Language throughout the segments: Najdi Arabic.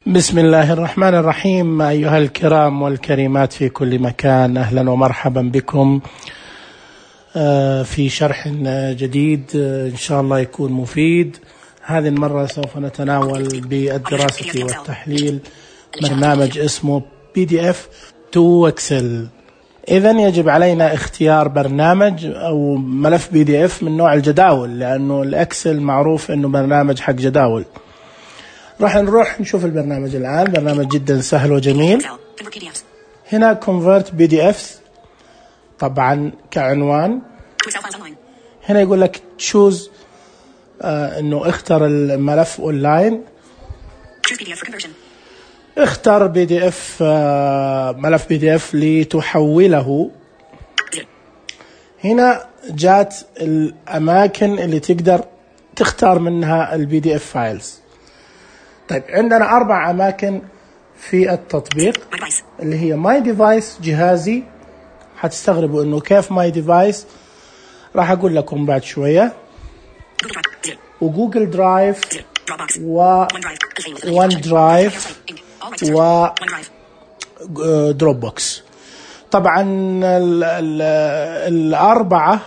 بسم الله الرحمن الرحيم. أيها الكرام والكريمات في كل مكان، أهلا ومرحبا بكم في شرح جديد إن شاء الله يكون مفيد. هذه المرة سوف نتناول بالدراسة والتحليل برنامج اسمه PDF to Excel. إذن يجب علينا اختيار برنامج أو ملف PDF من نوع الجداول، لأنه الإكسل معروف أنه برنامج حق جداول. راح نروح نشوف البرنامج الآن. برنامج جدا سهل وجميل. هنا Convert PDFs طبعا كعنوان. هنا يقول لك choose انه اختر الملف اونلاين. اختر PDF ملف PDF لتحوله. هنا جات الاماكن اللي تقدر تختار منها PDF فايلز. طيب عندنا 4 أماكن في التطبيق اللي هي My Device جهازي. حتستغربوا إنه كيف My Device، راح أقول لكم بعد شوية. وجوجل درايف وون درايف ودروب بوكس. طبعا ال4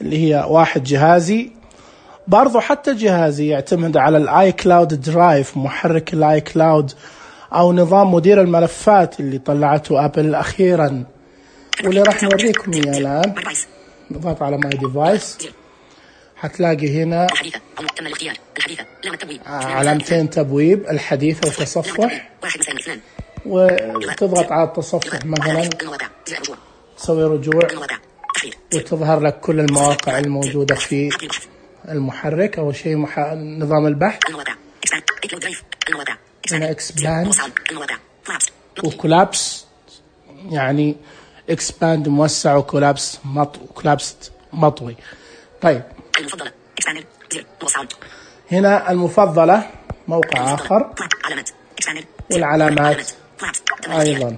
اللي هي 1 جهازي، برضو حتى جهازي يعتمد على الاي كلاود درايف، محرك الاي كلاود او نظام مدير الملفات اللي طلعته ابل اخيرا، واللي راح نوريكم اياه الان. نضغط على ماي ديفايس، حتلاقي هنا علامتين تبويب، الحديثة وتصفح. وتضغط على التصفح مثلا، تسوي رجوع وتظهر لك كل المواقع الموجودة في المحرك. أول شيء نظام البحث، هنا expand وكولابس، يعني expand موسع وكولابس مطوي. طيب هنا المفضلة موقع آخر، والعلامات أيضا.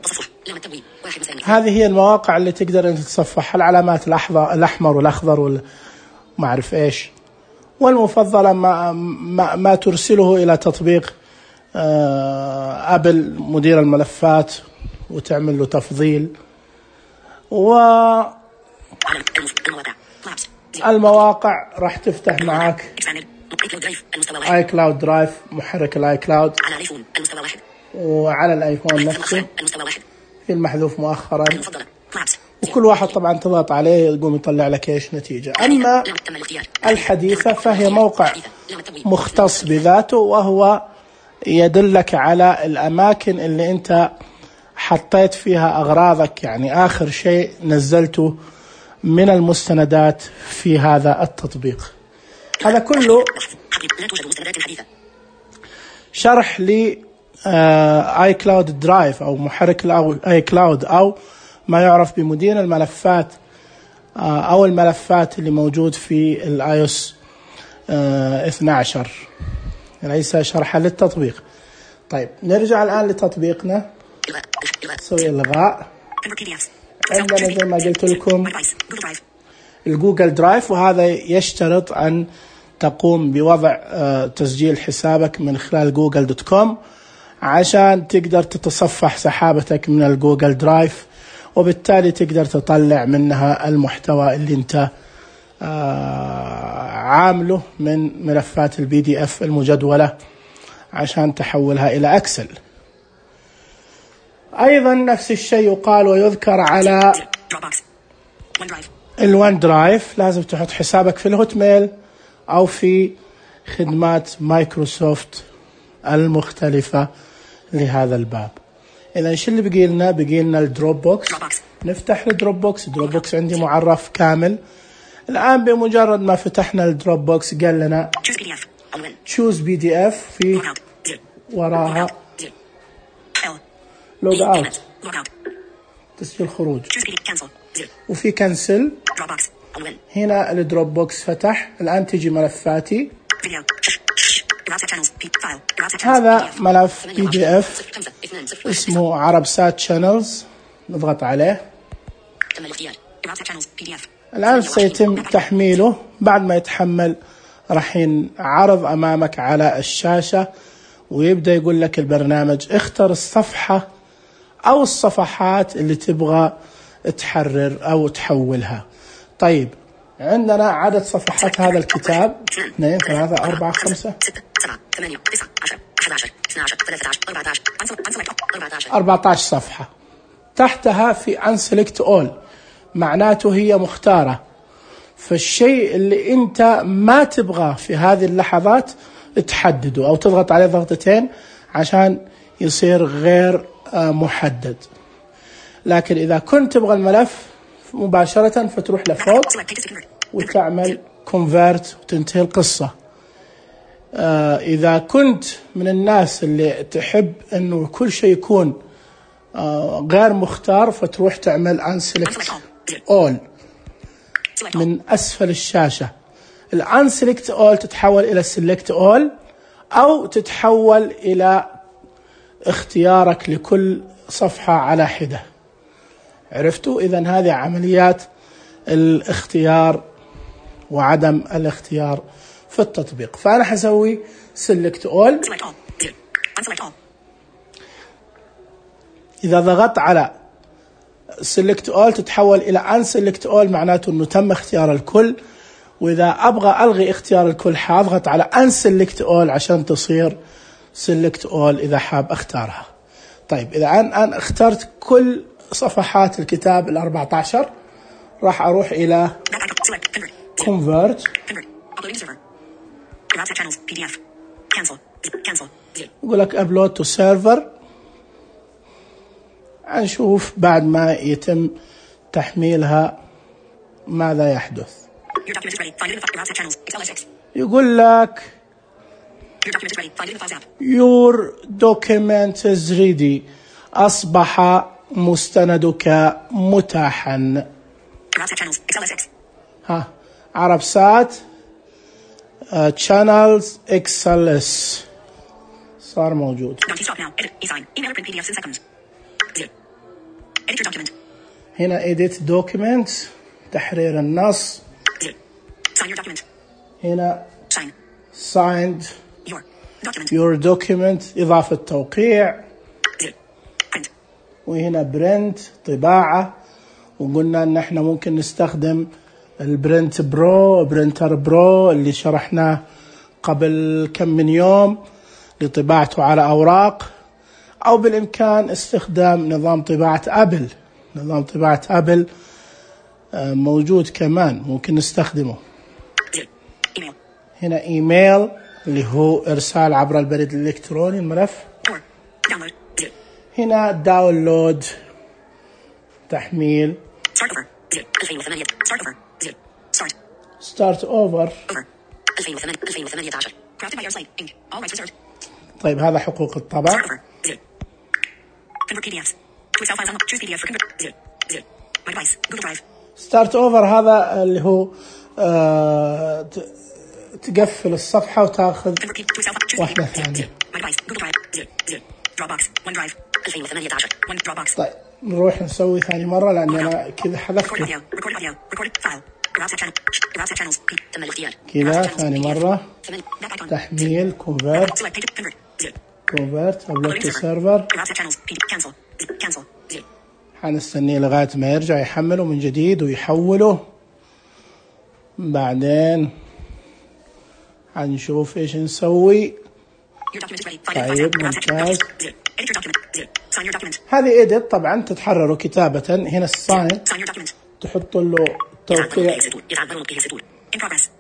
هذه هي المواقع اللي تقدر أن تتصفح، العلامات الأحمر والأخضر وما أعرف إيش. والمفضلة ما ترسله إلى تطبيق أبل مدير الملفات وتعمل له تفضيل. والمواقع راح تفتح معك اي كلاود درايف، محرك الاي كلاود، وعلى الايفون نفسه في المحذوف مؤخرا. وكل واحد طبعا تضغط عليه يقوم يطلع لك ايش نتيجة. اما الحديثة فهي موقع مختص بذاته، وهو يدلك على الاماكن اللي انت حطيت فيها اغراضك، يعني اخر شيء نزلته من المستندات في هذا التطبيق. هذا كله شرح ل اي كلاود درايف او محرك اي كلاود، او ما يعرف بمدير الملفات او الملفات اللي موجود في الاي او اس 12، ليس شرحا للتطبيق. طيب نرجع الان لتطبيقنا، نسوي الغاء. عندنا زي ما قلت لكم الجوجل درايف، وهذا يشترط أن تقوم بوضع تسجيل حسابك من خلال google.com عشان تقدر تتصفح سحابتك من الجوجل درايف، وبالتالي تقدر تطلع منها المحتوى اللي انت عامله من ملفات PDF المجدولة عشان تحولها إلى أكسل. أيضا نفس الشيء يقال ويذكر على الون درايف. لازم تحط حسابك في الهوت ميل أو في خدمات مايكروسوفت المختلفة لهذا الباب. إذا شو اللي بقي لنا الدروب بوكس. نفتح الدروب بوكس. الدروب بوكس عندي معرف كامل. الآن بمجرد ما فتحنا الدروب بوكس قال لنا choose PDF، في وراها لوج اوت، تسجيل خروج، وفي كنسل. هنا الدروب بوكس فتح. الآن تجي ملفاتي. هذا ملف PDF اسمه عرب سات شانلز، نضغط عليه. الآن سيتم تحميله. بعد ما يتحمل راح ينعرض أمامك على الشاشة، ويبدأ يقول لك البرنامج اختر الصفحة أو الصفحات اللي تبغى تحرر أو تحولها. طيب عندنا عدد صفحات هذا الكتاب 2 3 4 5 14 صفحة. تحتها في Unselect All، معناته هي مختارة. فالشيء اللي انت ما تبغاه في هذه اللحظات تحدده أو تضغط عليه ضغطتين عشان يصير غير محدد. لكن إذا كنت تبغى الملف مباشرة فتروح لفوق وتعمل Convert وتنتهي القصة. إذا كنت من الناس اللي تحب أنه كل شيء يكون غير مختار فتروح تعمل Unselect All من أسفل الشاشة. Unselect All تتحول إلى Select All أو تتحول إلى اختيارك لكل صفحة على حدة. عرفتوا؟ إذن هذه عمليات الاختيار وعدم الاختيار في التطبيق. فأنا حسوي Select All. إذا ضغطت على Select All تتحول إلى Unselect All، معناته أنه تم اختيار الكل. وإذا أبغى ألغي اختيار الكل حاضغط على Unselect All عشان تصير Select All إذا حاب أختارها. طيب إذا أنا اخترت كل صفحات الكتاب 14 راح أروح إلى Convert، يقول لك Upload to Server. نشوف بعد ما يتم تحميلها ماذا يحدث. يقول لك Your document is ready، أصبح مستندك متاحا. عربسات channels XLS صار موجود. هنا edit document تحرير النص. هنا signed your document إضافة توقيع. وهنا print طباعة. وقلنا ان احنا ممكن نستخدم البرنت برو، برينتر برو اللي شرحناه قبل كم من يوم لطباعته على أوراق، أو بالإمكان استخدام نظام طباعة أبل. نظام طباعة أبل موجود كمان ممكن نستخدمه. هنا إيميل اللي هو إرسال عبر البريد الإلكتروني الملف. هنا داونلود تحميل. ستارت اوفر. طيب هذا حقوق الطبع. ستارت اوفر هذا اللي هو تقفل الصفحة وتاخذ واحدة ثانية. طيب نروح نسوي ثاني مرة لأن أنا كذا حذفته. كذا ثاني مرة تحميل Convert Upload to Server. حنستنيه لغاية ما يرجع يحمله من جديد ويحوله. بعدين حنشوف إيش نسوي. طيب ممتاز. هذه edit طبعا تتحرر كتابة. هنا الsign تحط له توقيع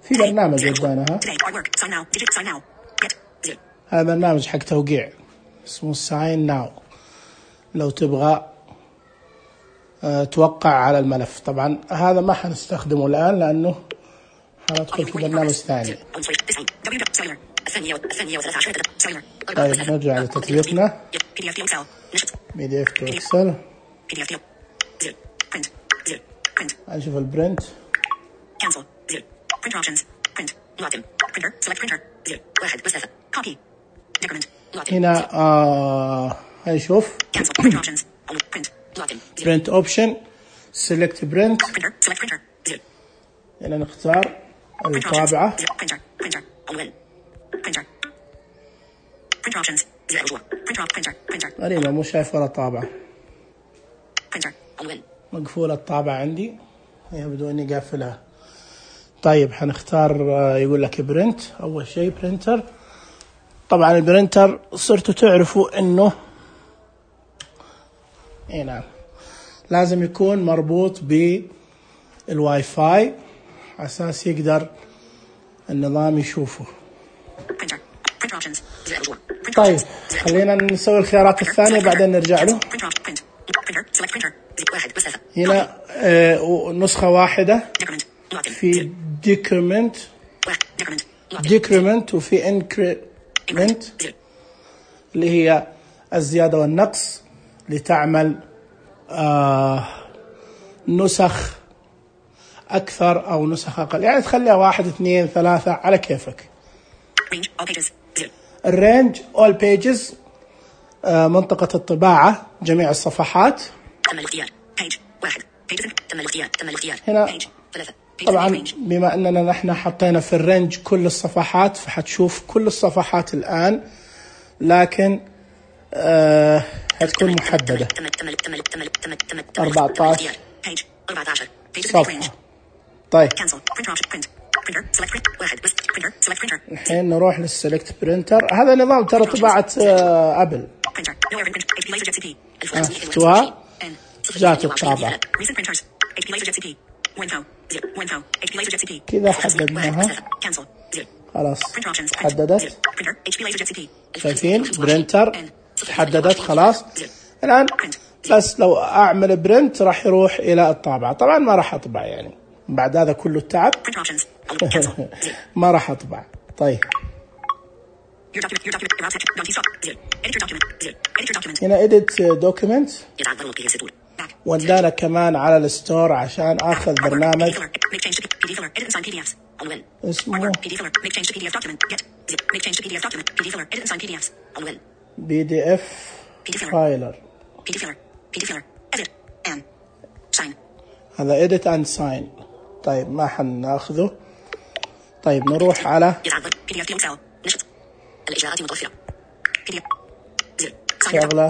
في برنامج ودانها. هذا برنامج حق توقيع اسمه sign now لو تبغى توقع على الملف. طبعا هذا ما حنستخدمه الآن لأنه حندخل في برنامج ثاني. طيب نرجع لتطبيقنا PDF to Excel. نشوف البرنت. هنا هنشوف print option select print. هنا نختار الطابعة. غريبة مو شايف ولا طابعة. مقفولة الطابعة عندي، يبدو اني قافلها. طيب حنختار يقول لك برنت. اول شيء برينتر. طبعا البرينتر صرتوا تعرفوا انه نعم لازم يكون مربوط بالواي فاي اساس يقدر النظام يشوفه. طيب خلينا نسوي الخيارات الثانية بعدين نرجع له. هنا نسخة واحدة في decrement وفي increment اللي هي الزيادة والنقص لتعمل نسخ أكثر أو نسخ أقل، يعني تخليها 1 2 3 على كيفك. الرينج all pages منطقة الطباعة جميع الصفحات. هنا طبعا بما أننا نحن حطينا في الرينج كل الصفحات فحتشوف كل الصفحات الآن، لكن هتكون محددة 14 صفحة. طيب الحين نروح للسلكت برينتر. هذا نظام ترى طباعة أبل. شفتوها جات الطابعة كذا حددناها خلاص حددت. شايفين برينتر تحددت خلاص. الآن بس لو أعمل برنت راح يروح إلى الطابعة. طبعا ما راح أطبع يعني بعد هذا كله التعب ما راح أطبع. طيب هنا edit document ودانا كمان على الستور عشان آخذ برنامج اسمه PDF فايلر. هذا edit and sign. طيب ما حناخذه. طيب نروح على شغلة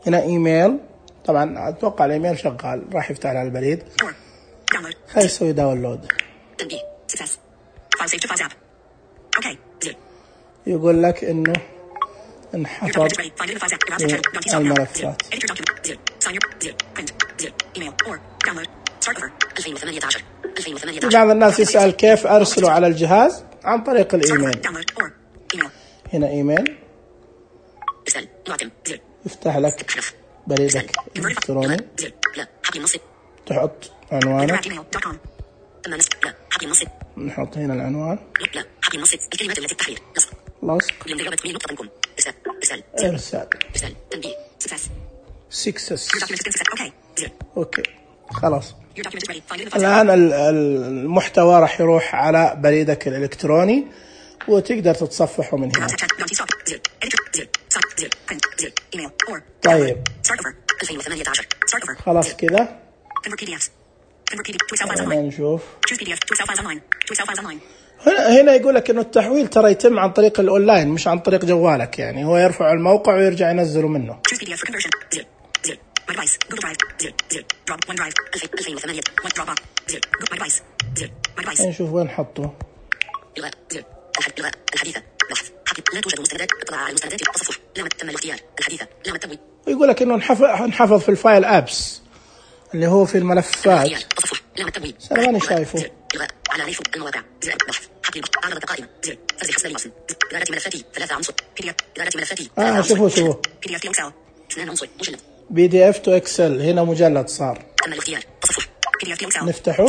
هنا ايميل. طبعا اتوقع الايميل شغال راح يفتح على البريد. خلينا نسوي داونلود. يقول لك انه انحفظ الملفات. بعض الناس يسأل كيف أرسله على الجهاز عن طريق الإيميل. هنا إيميل يفتح لك بريدك الإلكتروني، تحط عنوانك، نحط هنا العنوان، لصق، إرسال، سكسس. أوكي خلاص. الآن المحتوى راح يروح على بريدك الإلكتروني وتقدر تتصفحه من هنا. طيب خلاص كذا نشوف. هنا يقول لك إنه التحويل ترى يتم عن طريق الأونلاين مش عن طريق جوالك، يعني هو يرفع الموقع ويرجع ينزله منه. نشوف وين حطه. ويقول لك انه انحفظ في الفايل ابس اللي هو في الملفات. انا ماني شايفه. شوفوا PDF to Excel. هنا مجلد صار. نفتحه.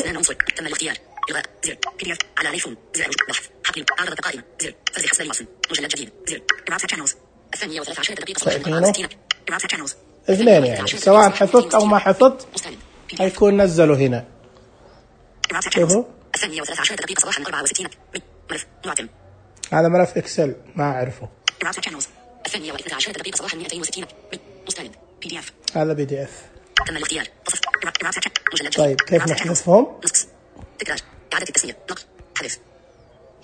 اثنين يعني سواء حفظت أو ما حفظت هيكون نزله هنا. شوفوا هذا ملف إكسل ما أعرفه. هذا PDF. طيب كيف نحذفهم؟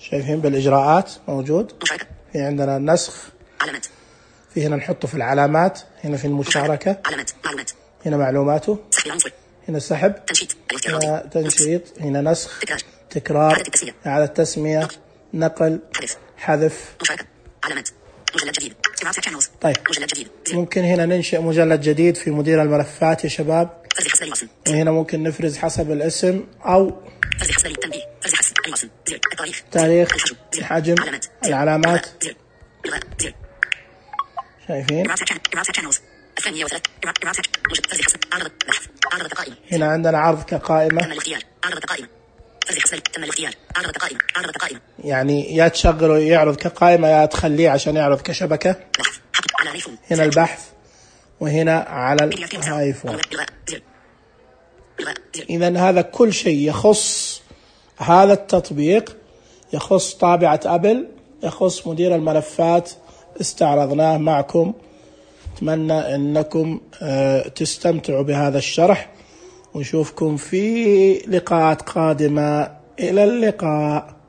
شايفين بالإجراءات موجود. مشاركة. في عندنا النسخ. علامات. في هنا نحطه في العلامات. هنا في المشاركة. علامات. معلومات. هنا معلوماته. سحب العنصر. هنا سحب. تنشيط. هنا تنشيط. هنا نسخ. تكرار. تكرار. إعادة تسمية. نقل. حذف. مشاركة. علامات. مجلد جديد. طيب مجلد جديد. ممكن هنا ننشئ مجلد جديد في مدير الملفات يا شباب. فرز حسب الوصل. وهنا ممكن نفرز حسب الاسم أو فرز حسب التنبيه. فرز حسب الوصل. زر. التاريخ. تاريخ. الحجم. الحجم. علامات. العلامات. زر. إلغاء. زر. شايفين الثانية وثلاث. فرز حسب. عرض بحث. عرض قائمة. هنا عندنا عرض كقائمة. تم الاختيار. عرض قائمة. فرز حسب. تم الاختيار. عرض قائمة. عرض قائمة. يعني يا تشغله يعرض كقائمة يا تخليه عشان يعرض كشبكة. بحث. حط على الايفون. هنا البحث وهنا على الايفون. إذا هذا كل شيء يخص هذا التطبيق، يخص طابعة أبل، يخص مدير الملفات، استعرضناه معكم. أتمنى أنكم تستمتعوا بهذا الشرح، ونشوفكم في لقاءات قادمة. إلى اللقاء.